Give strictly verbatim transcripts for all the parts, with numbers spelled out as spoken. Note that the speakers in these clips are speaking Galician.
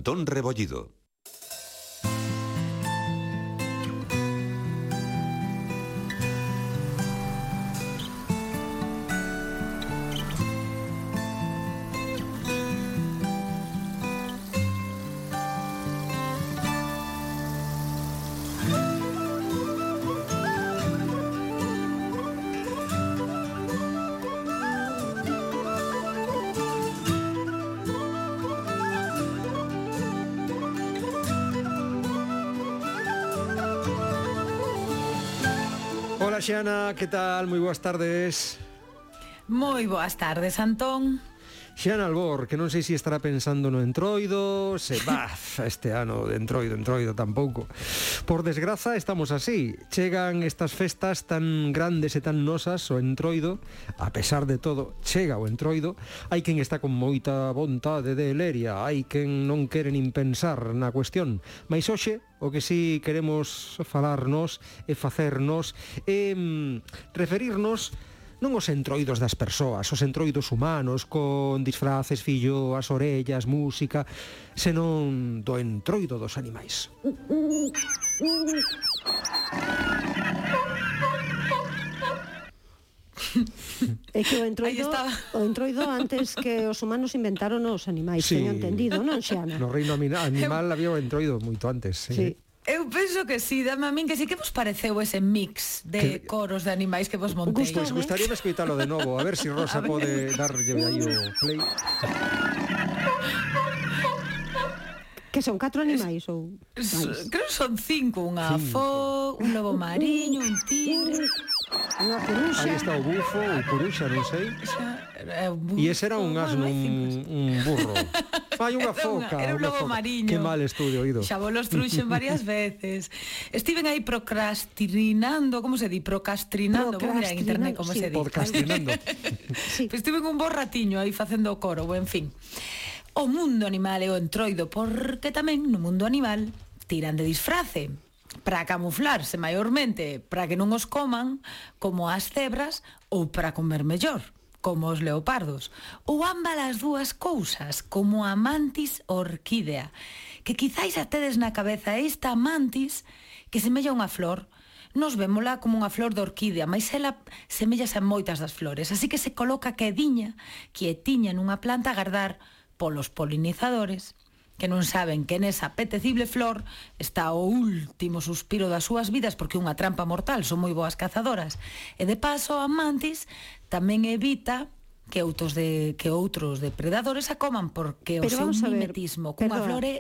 Antón Rebollido. Hola Xiana, que tal? Moi boas tardes. Moi boas tardes, Antón. Xiana Albor, que non sei se estará pensando no entroido, se va este ano de entroido, entroido tampouco. Por desgraza estamos así. Chegan estas festas tan grandes e tan nosas, o entroido, a pesar de todo, chega o entroido. Hai quen está con moita vontade de leria, hai quen non quere nin pensar na cuestión. Mais hoxe, o que sí queremos falarnos e facernos é mm, referirnos non os entroidos das persoas, os entroidos humanos con disfraces, fillo, as orellas, música, senón do entroido dos animais. É que o entroido, o entroido antes que os humanos inventaron os animais, Sí. teño entendido, non, Xiana? No reino animal había o entroido moito antes. Sí. Sí. Eu penso que sí, dame a min que sí. Que vos pareceu ese mix de Que- coros de animais que vos montei? Gustou. Pois gustaríame escoitalo de novo, a ver se si Rosa pode darlle aí o play. Que son catro animais ou S- máis? Creo que son cinco. Unha fo, un lobo mariño, un tigre. Unha coruxa. Aí está o bufo, o curuxa, non sei. E ese era un asno, un, un burro. Fai unha Era unha- foca. era un unha lobo foca. mariño. Que mal estudio, oído. Xa vos los truxen varias veces. Estiven aí procrastinando, como se di? Procrastinando, vou mirar en internet como sí. se di. Podcastinando. Sí. Pois estiven un bo ratiño aí facendo o coro, en fin. O mundo animal é o entroido, porque tamén no mundo animal tiran de disfrace para camuflarse maiormente, para que non os coman, como as cebras, ou para comer mellor, como os leopardos, ou ambas as dúas cousas, como a mantis orquídea, que quizáis a tedes na cabeza esta mantis que semella unha flor. Nos vémola como unha flor de orquídea, mas ela semellase a moitas das flores, así que se coloca quediña, quietiña nunha planta a agardar polos polinizadores, que non saben que nesa apetecible flor está o último suspiro das súas vidas, porque é unha trampa mortal, son moi boas cazadoras. E de paso a mantis tamén evita que outros de que outros depredadores a coman, porque o Pero seu vamos a ver, mimetismo cunha perdona. flor é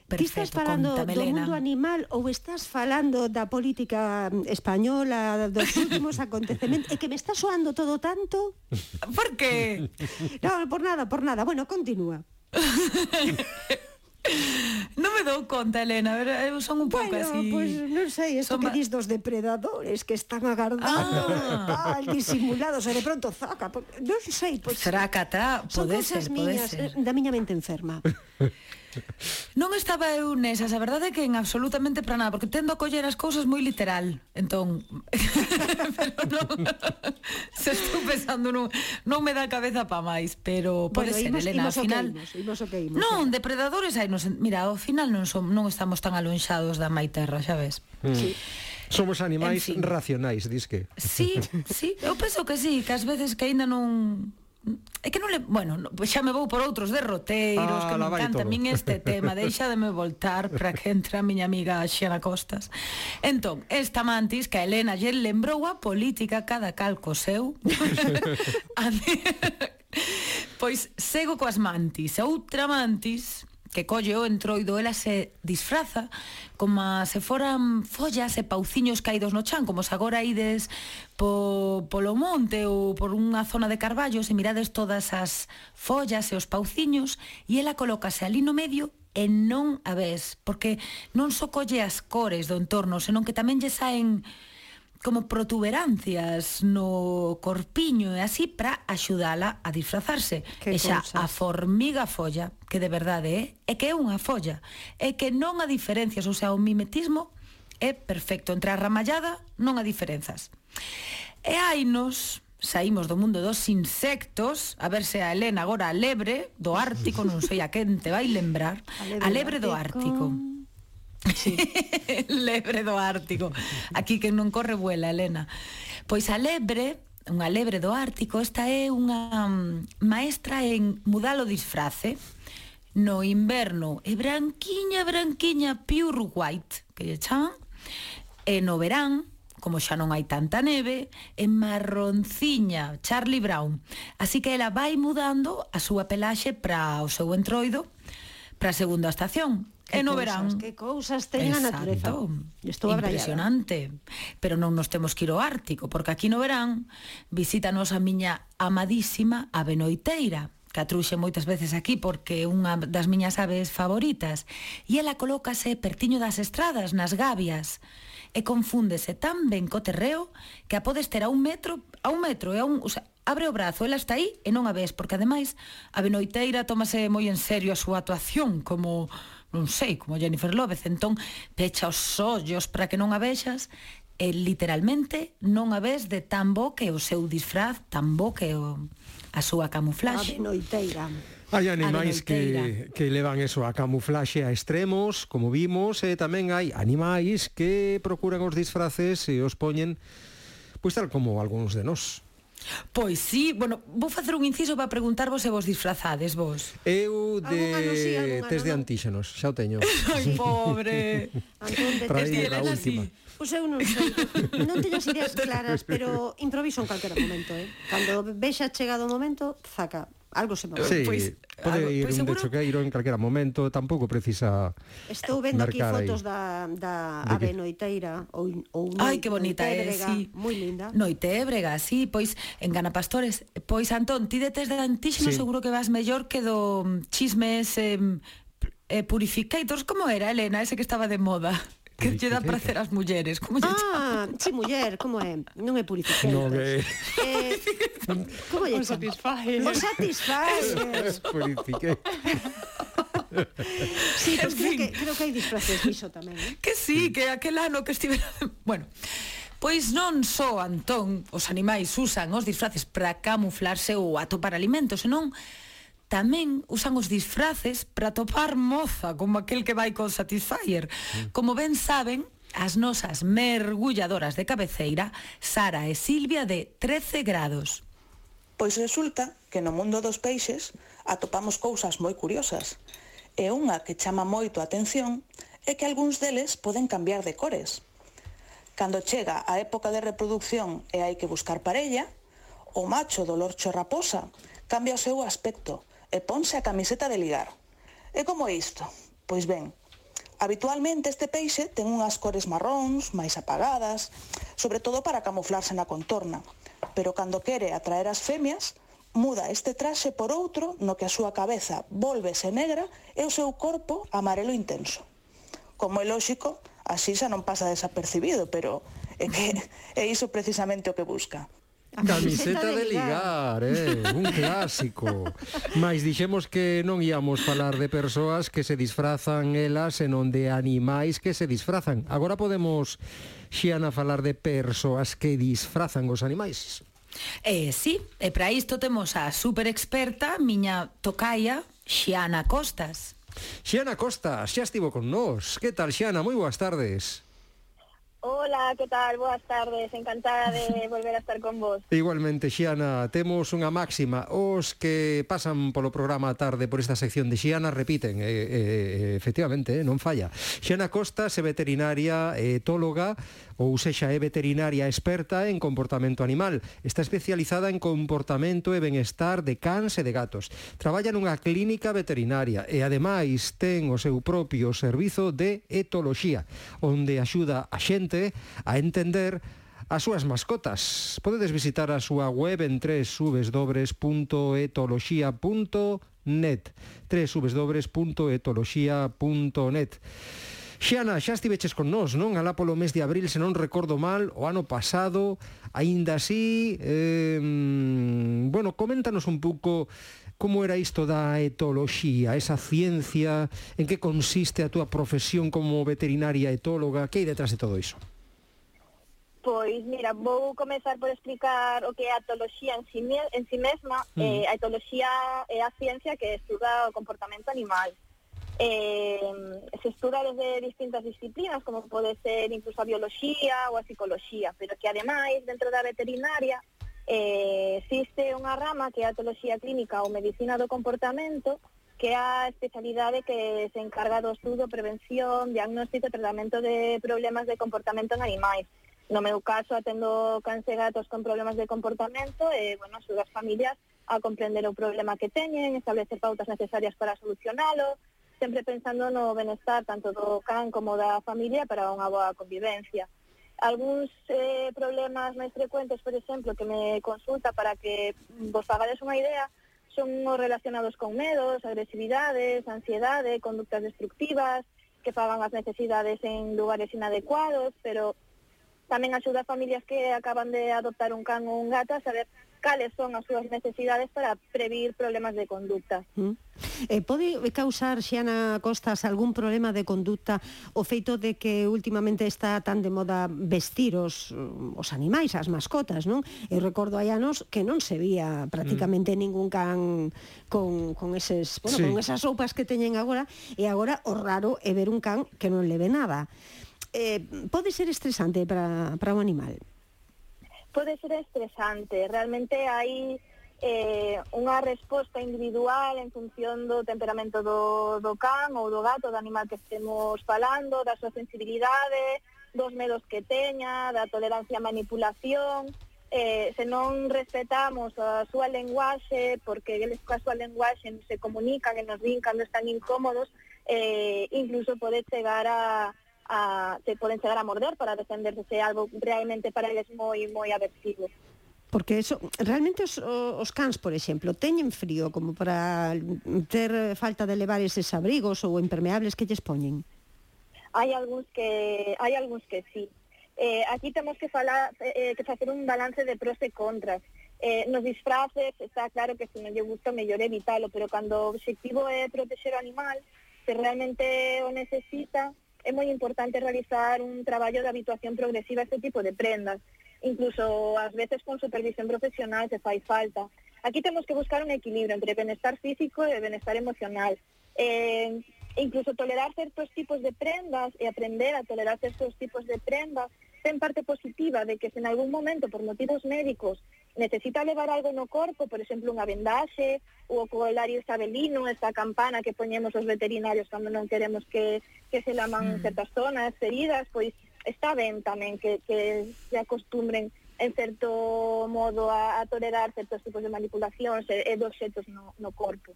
Ti estás perfecto. falando Conta, do Melena. mundo animal ou estás falando da política española, dos últimos acontecementos? É que me está soando todo tanto. Por que? No, por nada, por nada. Bueno, continúa. Non me dou conta, Elena, a ver, eu son un pouco Bueno, así. pues non sei, isto Son que ba- dis dos depredadores que están agardando, Ah. tal, disimulados, e de pronto zaca, por- non sei, pois Será catá, son pode cousas ser, pode miñas, ser. eh, da miña mente enferma. Non estaba eu nesas, a verdade é que en absolutamente para nada, porque tendo a coller as cousas moi literal. Entón, pero non, se estou pensando non, non me dá a cabeza pa máis, pero pode Bueno, ser, imos- Elena, imos ao o que final. imos, imos o que imos, Non, xa. depredadores hai, nos, mira, ao final non som, non estamos tan alonxados da mai terra, xa ves. Sí. Somos animais En fin. racionais, dis que. Sí, sí, eu penso que sí, que ás veces que aínda non... É que non le... Bueno, no, xa me vou por outros derroteiros, Ah, que me lá vai encanta a todo. min este tema. Deixa de me voltar para que entre a miña amiga Xiana Costas. Entón, esta mantis, que a Elena lle lembrou a política, cada cal co seu. Pois sego coas mantis. Outra mantis que colle o entroido, ela se disfraza como se foran follas e pauciños caídos no chan, como se agora ides po, polo monte ou por unha zona de carballos e mirades todas as follas e os pauciños, e ela colócase ali no medio e non a ves, porque non só colle as cores do entorno, senón que tamén lle saen como protuberancias no corpiño e así para axudala a disfrazarse. Que E xa cousas. a formiga folla, que de verdade é, é que é unha folla, é que non a diferencias, ou sea, o mimetismo é perfecto, entre a ramallada non a diferenzas. E hainos saímos do mundo dos insectos, a ver se a Elena agora a lebre do Ártico, non sei a quen te vai lembrar, a lebre do Ártico. Sí. Lebre do Ártico. Aquí que non corre vuela, Elena. Pois a lebre, unha lebre do Ártico, esta é unha maestra en mudar o disfrace. No inverno é branquiña, branquiña, pure white, que lle chaman, e no verán, como xa non hai tanta neve, é marronciña, Charlie Brown. Así que ela vai mudando a súa pelaxe para o seu entroido, para a segunda estación. Que e no cousas, verán. Que cousas ten a natureza. Estou impresionante. Pero non nos temos que ir ao Ártico, porque aquí no verán visítanos a miña amadísima ave noiteira, que a truxe moitas veces aquí porque é unha das miñas aves favoritas, e ela colócase pertiño das estradas, nas gabias, e confúndese tan ben co terreo que a podes ter a un metro, a un metro, e a un, o sea, abre o brazo, ela está aí e non a ves, porque ademais a ave noiteira tómase moi en serio a súa actuación, como, non sei, como Jennifer López, entón pecha os ollos para que non a vexas, e literalmente non a ves de tan bo que o seu disfraz, tan bo que o, a súa camuflaxe. Ave noiteira. Hai animais que, que levan eso a camuflaxe a extremos, como vimos, e tamén hai animais que procuran os disfraces e os poñen, pois tal como algúns de nós. Pois sí, bueno, vou facer un inciso para preguntarvos se vos disfrazades vos. Eu de Algún ano sí, algún ano test de non. antíxenos, xa o teño. Ai, pobre. Antón, de Para test ir de a Elena, última. sí. Pois eu non sei, non teño as ideas claras, pero improviso en calquera momento, eh? Cando vexa chegado o momento, zaca, algo se me vai. Sí, Pois, pode algo- ir pois un seguro- dechoqueiro en calquera momento, tampouco precisa Estou vendo aquí mercar aí. fotos da, da De ave que? noiteira ou, ou Ai, que bonita é, noitebrega, sí. moi linda. Noitebrega, sí, pois en Ganapastores. Pois Antón, ti de test de antíxeno Sí. seguro que vas mellor que do mm, chismes eh, eh, purificators, como era, Elena, ese que estaba de moda? Que lle dá Purificator. prazer ás mulleres, como lle Ah, chama? si, muller, como é? Non é purificator. No, que... Eh, como lle O chama? Satisfyer. O Satisfyer. Purifiquei. Sí, pues En creo fin. que, creo que hai disfraces diso tamén, eh? Que sí, que aquel ano que estivera... Bueno, pois non só, Antón, os animais usan os disfraces para camuflarse ou atopar alimentos, senón tamén usan os disfraces para atopar moza, como aquel que vai con Satisfyer. Como ben saben, as nosas mergulladoras de cabeceira, Sara e Silvia, de trece grados. Pois resulta que no mundo dos peixes atopamos cousas moi curiosas. E unha que chama moito a atención é que algúns deles poden cambiar de cores. Cando chega a época de reproducción e hai que buscar parella, o macho do lorcho raposa cambia o seu aspecto e ponse a camiseta de ligar. E como é isto? Pois ben, habitualmente este peixe ten unhas cores marróns, máis apagadas, sobre todo para camuflarse na contorna. Pero cando quere atraer as femias, muda este traxe por outro no que a súa cabeza vólvese negra e o seu corpo amarelo intenso. Como é lóxico, así xa non pasa desapercibido, pero é que é iso precisamente o que busca. A Camiseta de ligar, eh, un clásico. Mais dixemos que non íamos falar de persoas que se disfrazan elas, senón de animais que se disfrazan. Agora podemos, Xiana, falar de persoas que disfrazan os animais. E sí, e para isto temos a super experta, miña tocaia, Xiana Costas. Xiana Costas, xa estivo con nós. Que tal, Xiana? Moi boas tardes. Hola, ¿qué tal? Buenas tardes, encantada de volver a estar con vos. Igualmente, Xiana, temos unha máxima. Os que pasan polo programa a tarde por esta sección de Xiana repiten, e, e, efectivamente, eh, non falla. Xiana Costas é veterinaria e etóloga, ou sexa, é veterinaria experta en comportamento animal. Está especializada en comportamento e benestar de cans e de gatos. Traballa nunha clínica veterinaria e, ademais, ten o seu propio servizo de etoloxía, onde axuda a xente a entender as súas mascotas. Podedes visitar a súa web en w w w punto etoloxía punto net w w w punto etoloxía punto net. Xiana, xa estiveches con nós, non? Alá polo mes de abril, se non recordo mal, o ano pasado, aínda así, eh, bueno, coméntanos un pouco como era isto da etoloxía, esa ciencia, en que consiste a túa profesión como veterinaria etóloga, que hai detrás de todo iso? Pois, mira, vou comezar por explicar o que é a etoloxía en si, me- en si mesma. Mm. Eh, a etoloxía é a ciencia que estuda o comportamento animal. Eh, se estuda desde distintas disciplinas, como pode ser incluso a bioloxía ou a psicoloxía, pero que ademais, dentro da veterinaria, eh, existe unha rama que é a etoloxía clínica ou medicina do comportamento, que é a especialidade que se encarga do estudo, prevención, diagnóstico e tratamento de problemas de comportamento en animais. No meu caso, atendo cans e gatos con problemas de comportamento e, bueno, axudo as familias a comprender o problema que teñen, establecer pautas necesarias para solucionalo, sempre pensando no benestar tanto do can como da familia para unha boa convivencia. Algúns eh, problemas máis frecuentes, por exemplo, que me consulta para que vos fagades unha idea, son os relacionados con medos, agresividades, ansiedade, conductas destructivas, que fagan as necesidades en lugares inadecuados, pero tamén axuda a familias que acaban de adoptar un can ou un gato a saber cales son as súas necesidades para previr problemas de conducta. Mm. Eh, pode causar, Xiana Costas, algún problema de conducta o feito de que últimamente está tan de moda vestir os, os animais, as mascotas, non? Eu recordo hai anos que non se vía prácticamente mm. ningún can con, con, eses, bueno, sí. con esas roupas que teñen agora, e agora o raro é ver un can que non le ve nada. Eh, pode ser estresante para, para o animal? Pode ser estresante, realmente hai eh, unha resposta individual en función do temperamento do, do can ou do gato, do animal que estemos falando, da súa sensibilidade, dos medos que teña, da tolerancia á manipulación. Eh, se non respetamos a súa lenguaxe, porque eles coa súa lenguaxe se comunican e nos din cando están incómodos, eh, incluso pode chegar a A, se poden chegar a morder para defenderse se algo realmente para eles moi moi aversivo. Porque eso, realmente os, os cans, por exemplo, teñen frío como para ter falta de levar eses abrigos ou impermeables que lles poñen? Hai algúns que hai algúns que sí. Eh, aquí temos que falar eh, que facer un balance de pros e contras. Eh, nos disfraces está claro que se non lle gusta mellor evitalo, pero cando o obxectivo é protexer o animal, se realmente o necesita, é moi importante realizar un traballo de habituación progresiva a este tipo de prendas, incluso ás veces con supervisión profesional se fai falta. Aquí temos que buscar un equilibrio entre benestar físico e benestar emocional. Eh, incluso tolerar certos tipos de prendas e aprender a tolerar certos tipos de prendas ten parte positiva de que se en algún momento, por motivos médicos, necesita levar algo no corpo, por exemplo, unha vendaxe, ou o colario isabelino, esta campana que poñemos os veterinarios cando non queremos que, que se laman mm. certas zonas feridas, pois está ben tamén que, que se acostumbren en certo modo a, a tolerar certos tipos de manipulacións e, e de obxetos no, no corpo.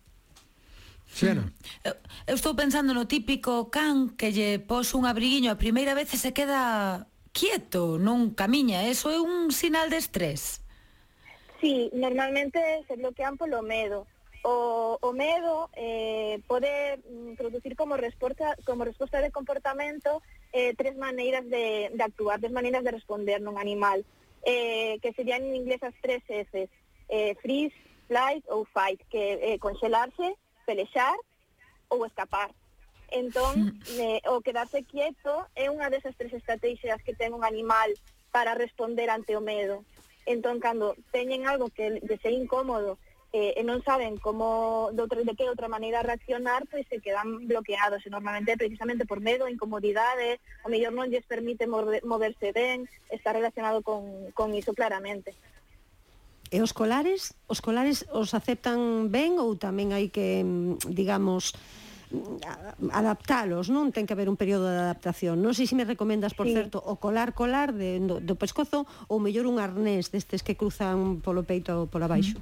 Xiana. Eu, eu estou pensando no típico can que lle pos un abriguiño a primeira vez e se queda quieto, non camiña. Eso é un sinal de estrés. Sí, normalmente se bloquean polo medo. O, o medo eh, pode producir como resposta, como resposta de comportamento eh, tres maneiras de, de actuar, tres maneiras de responder nun animal, eh, que serían en inglés as tres Fs, eh, freeze, flight ou fight, que é eh, congelarse, pelexar ou escapar. Entón, eh, o quedarse quieto é unha desas tres estrategias que ten un animal para responder ante o medo. Entón, cando teñen algo que lle é incómodo eh, e non saben como de, outra, de que outra maneira reaccionar, pois se quedan bloqueados. E normalmente precisamente por medo, incomodidade, o mellor non lles permite moverse ben, está relacionado con, con iso claramente. E os colares? Os colares os aceptan ben ou tamén hai que, digamos, adaptalos, non? Ten que haber un período de adaptación. Non sei se me recomendas, por sí. certo, o colar colar de, do, do pescozo ou mellor un arnés destes que cruzan polo peito ou pola baixo.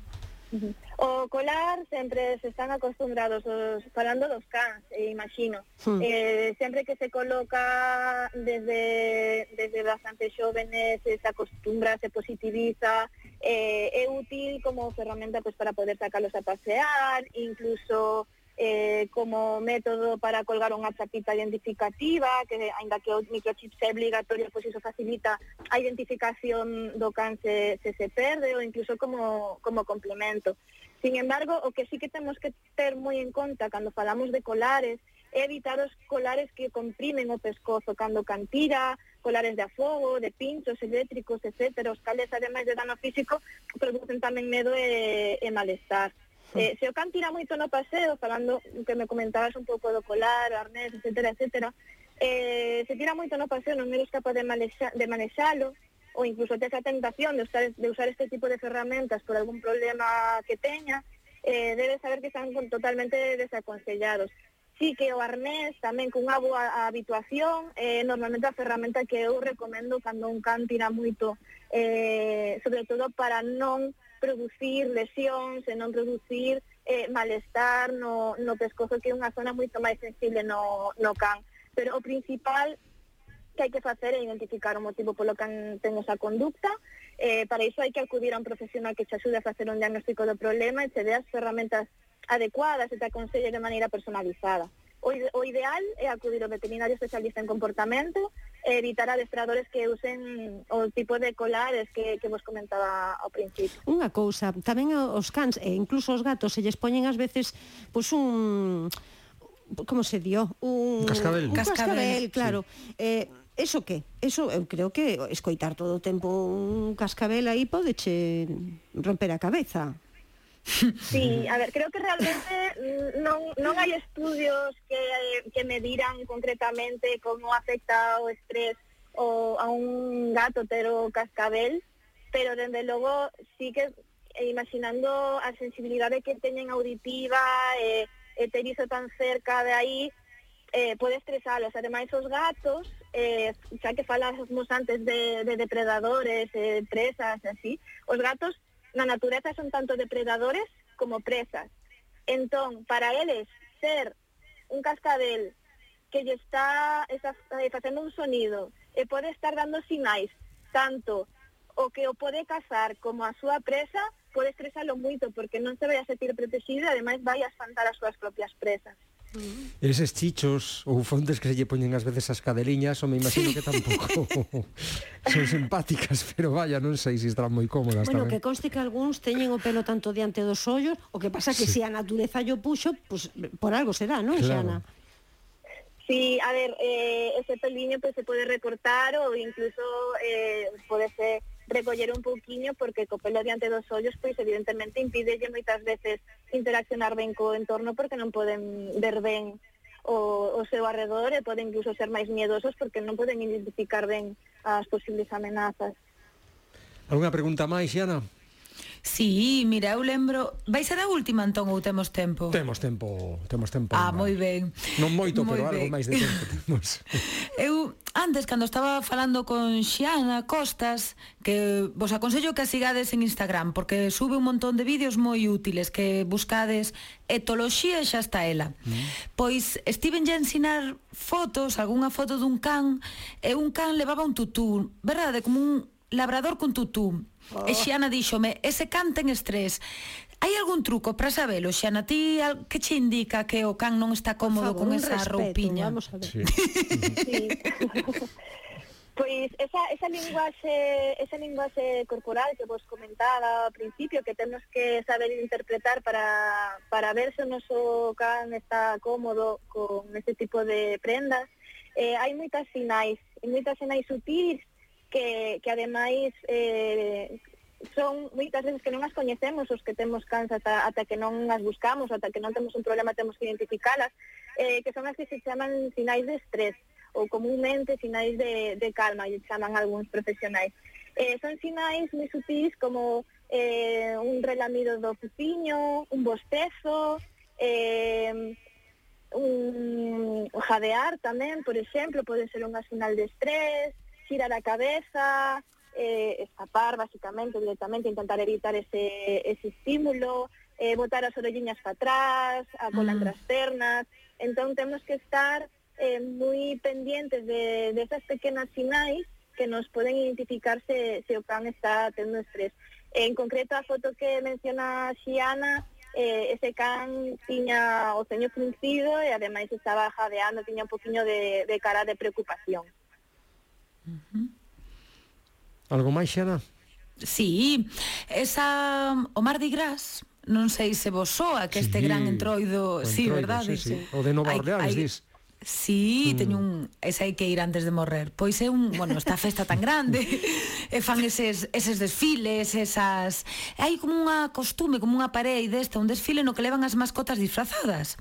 Uh-huh. O colar sempre se están acostumbrados os, falando dos cans, eh, imagino. Uh-huh. Eh, sempre que se coloca desde, desde bastante xóvenes, se acostumbra, se positiviza, eh, é útil como ferramenta pues, para poder sacalos a pasear, incluso Eh, como método para colgar unha chapita identificativa, que aínda que o microchip sea obligatorio, pois iso facilita a identificación do can se se, se perde, ou incluso como, como complemento. Sin embargo, o que sí que temos que ter moi en conta cando falamos de colares é evitar os colares que comprimen o pescozo cando can tira, colares de afogo, de pinchos eléctricos, etcétera, os cales, ademais de dano físico, producen tamén medo e, e malestar. Eh, se o can tira moito no paseo, falando que me comentabas un pouco do colar, o arnés, etcétera, etcétera, eh, se tira moito no paseo, non eres capaz de, manexa, de manexalo, ou incluso tes a tentación de usar, de usar este tipo de ferramentas por algún problema que teña, eh, debes saber que están totalmente desaconsellados. Sí que o arnés tamén con unha boa habituación, eh, normalmente a ferramenta que eu recomendo cando un can tira moito, eh, sobre todo para non producir lesións e non producir eh, malestar no, no pescozo, que é unha zona moito máis sensible no, no can. Pero o principal que hai que facer é identificar o motivo polo que ten esa conducta. Eh, para iso hai que acudir a un profesional que te axude a facer un diagnóstico do problema e te dé as ferramentas adecuadas e te aconselle de maneira personalizada. O, ide o ideal é acudir ao veterinario especialista en comportamento e evitar adestradores que usen o tipo de colares que, que vos comentaba ao principio. Unha cousa, tamén os cans e incluso os gatos se lles poñen ás veces pois un... como se dio? Un, un cascabel. Un cascabel, cascabel claro. Sí. Eh, Eso que? Eso, eu creo que escoitar todo o tempo un cascabel aí pode che romper a cabeza. Sí, a ver, creo que realmente non, non hai estudios que, que mediran concretamente como afecta o estrés o a un gato ter o cascabel, pero dende logo sí que imaginando a sensibilidade que teñen auditiva e, e ter iso tan cerca de aí, eh, pode estresalos. Ademais, os gatos, eh, xa que falamos antes de, de depredadores, eh, presas, así, os gatos na natureza son tanto depredadores como presas. Entón, para eles, ser un cascabel que lle está, está eh, facendo un sonido e pode estar dando sinais, tanto o que o pode cazar como a súa presa, pode estresalo moito, porque non se vai a sentir protegido e ademais vai a espantar as súas propias presas. Eses chichos ou fontes que se lle poñen ás veces as cadeliñas, ou me imagino que tampouco son simpáticas, pero vaya, non sei se estarán moi cómodas bueno, tamén. Que conste que algúns teñen o pelo tanto diante dos ollos, o que pasa que sí. Se a natureza yo puxo, pues, por algo será, non, claro. Xana? Sí, a ver, eh, ese peliño pues, se pode recortar ou incluso eh, pode ser recoller un pouquiño, porque co pelo diante dos ollos, pois evidentemente impídelle moitas veces interaccionar ben co entorno, porque non poden ver ben o, o seu arredor e poden incluso ser máis miedosos porque non poden identificar ben as posibles amenazas. Alguna pregunta máis, Xana? Sí, mira, eu lembro... Vai ser a última, entón, ou temos tempo? Temos tempo, temos tempo. Ah, moi ben. Non moito, moi pero ben. algo máis de tempo temos. Eu, antes, cando estaba falando con Xiana Costas, que vos aconsello que a sigades en Instagram, porque sube un montón de vídeos moi útiles, que buscades etoloxía e xa está ela. Mm. Pois estiven a ensinar fotos, algunha foto dun can, e un can levaba un tutú, verdade, como un labrador con tutú. Oh. E Xiana díxome, ese can ten estrés. Hai algún truco para sabelo, Xiana? Ti que che indica que o can non está cómodo favor, con esa respeto, roupiña? Vamos a ver. Sí. Sí. Pois esa, esa linguaxe esa linguaxe corporal que vos comentaba ao principio, que temos que saber interpretar para, para ver se o noso can está cómodo con este tipo de prendas, eh, hai moitas sinais, moitas sinais sutis que, que ademais eh, son moitas veces que non as coñecemos os que temos cans ata, ata que non as buscamos, ata que non temos un problema temos que identificalas, eh, que son as que se chaman sinais de estrés ou comúnmente sinais de, de calma, e chaman algúns profesionais. Eh, son sinais moi sutis como eh, un relamido do pupiño, un bostezo, eh, un jadear tamén, por exemplo, pode ser unha sinal de estrés, girar a cabeza, eh, escapar basicamente, directamente, intentar evitar ese, ese estímulo, eh, botar as orelliñas para atrás, a cola entre as pernas. Entón temos que estar eh, moi pendientes de, de esas pequenas sinais que nos poden identificar se, se o can está tendo estrés. En concreto, a foto que menciona Xiana, eh, ese can tiña o ceño fruncido e ademais estaba jadeando, tiña un poquinho de, de cara de preocupación. Uh-huh. Algo máis, Xana? Sí, esa o Mardi Gras, non sei se vos soa que este sí, gran entroido, entroido, sí, verdade? Sí, sí. O de Nova Orleans, dis. Sí, mm. teño un... Ese hai que ir antes de morrer. Pois é un... Bueno, esta festa tan grande e fan eses, eses desfiles, esas... Hai como unha costume, como unha parei desta, un desfile no que levan as mascotas disfrazadas.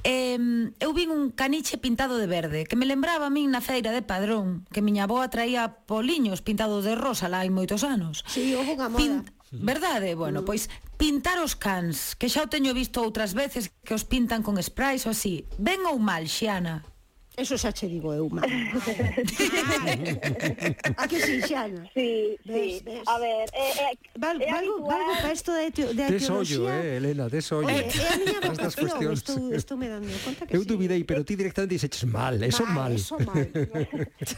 Eh, eu vin un caniche pintado de verde que me lembraba a min na feira de Padrón, que miña avoa traía poliños pintados de rosa lá hai moitos anos. Sí, houve unha moda. Pint... Verdade? Bueno, pois pintar os cans, que xa o teño visto outras veces que os pintan con sprays ou así. Ben ou mal, Xiana? Eso xa che digo eu, mal. A que si, Xiana? Sí, sí. Ves, ves. A ver, eh, eh, Val, é valgo, habitual... valgo para isto de, de tes ollo, arqueoloxía. eh, Elena, tes ollo. Eh, é a miña Estas vocación, cuestións. estou, estou me dando conta que Eu sí. duvidei, pero ti directamente dixeches mal, eso mal. Eso mal.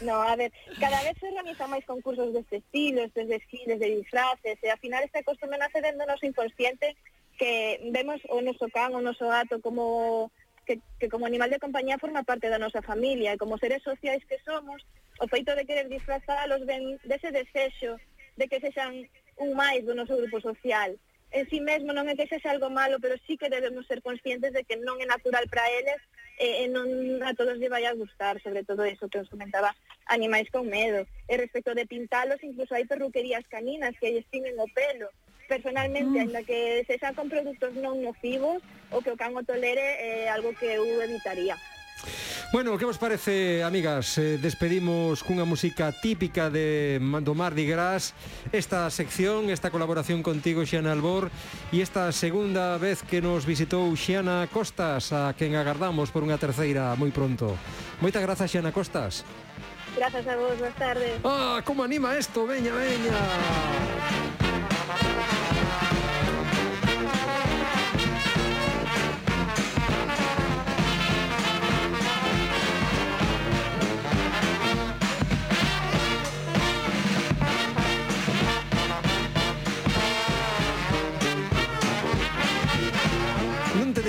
No, a ver, cada vez se organizan máis concursos deste estilo, estes desfiles de disfraces, e ao final este costume nace dentro do noso inconsciente, que vemos o noso can, o noso gato como que, que como animal de compañía forma parte da nosa familia, e como seres sociais que somos, o feito de querer disfrazalos ven dese desexo de que sexan un máis do noso grupo social. En si mesmo non é que sexa algo malo, pero sí que debemos ser conscientes de que non é natural para eles e, e non a todos lle vai a gustar, sobre todo eso que os comentaba, animais con medo. E respecto de pintalos, incluso hai perruquerías caninas que lles tiñen o pelo. Personalmente, mm. ainda que sexan con produtos non nocivos, o que o can o tolere é algo que eu evitaría. Bueno, que vos parece, amigas? Eh, despedimos cunha música típica de do Mardi Gras esta sección, esta colaboración contigo, Xiana Albor, e esta segunda vez que nos visitou Xiana Costas, a quen agardamos por unha terceira moi pronto. Moitas grazas, Xiana Costas. Grazas a vos, boas tardes. Ah, como anima isto, veña, veña.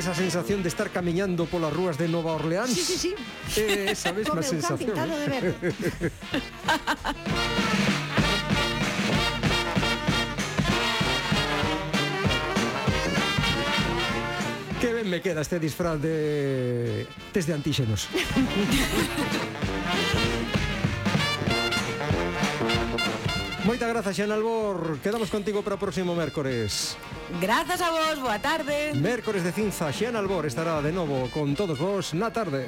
Esa sensación de estar camiñando polas rúas de Nova Orleans. Sí, sí, sí. Eh, esa mesma sensación. Pintado de verde. Que ben me queda este disfraz de test de antíxenos. Moitas grazas, Xiana Albor. Quedamos contigo para o próximo mércores. Grazas a vos, boa tarde. Mércores de cinza, Xiana Albor estará de novo con todos vos na tarde.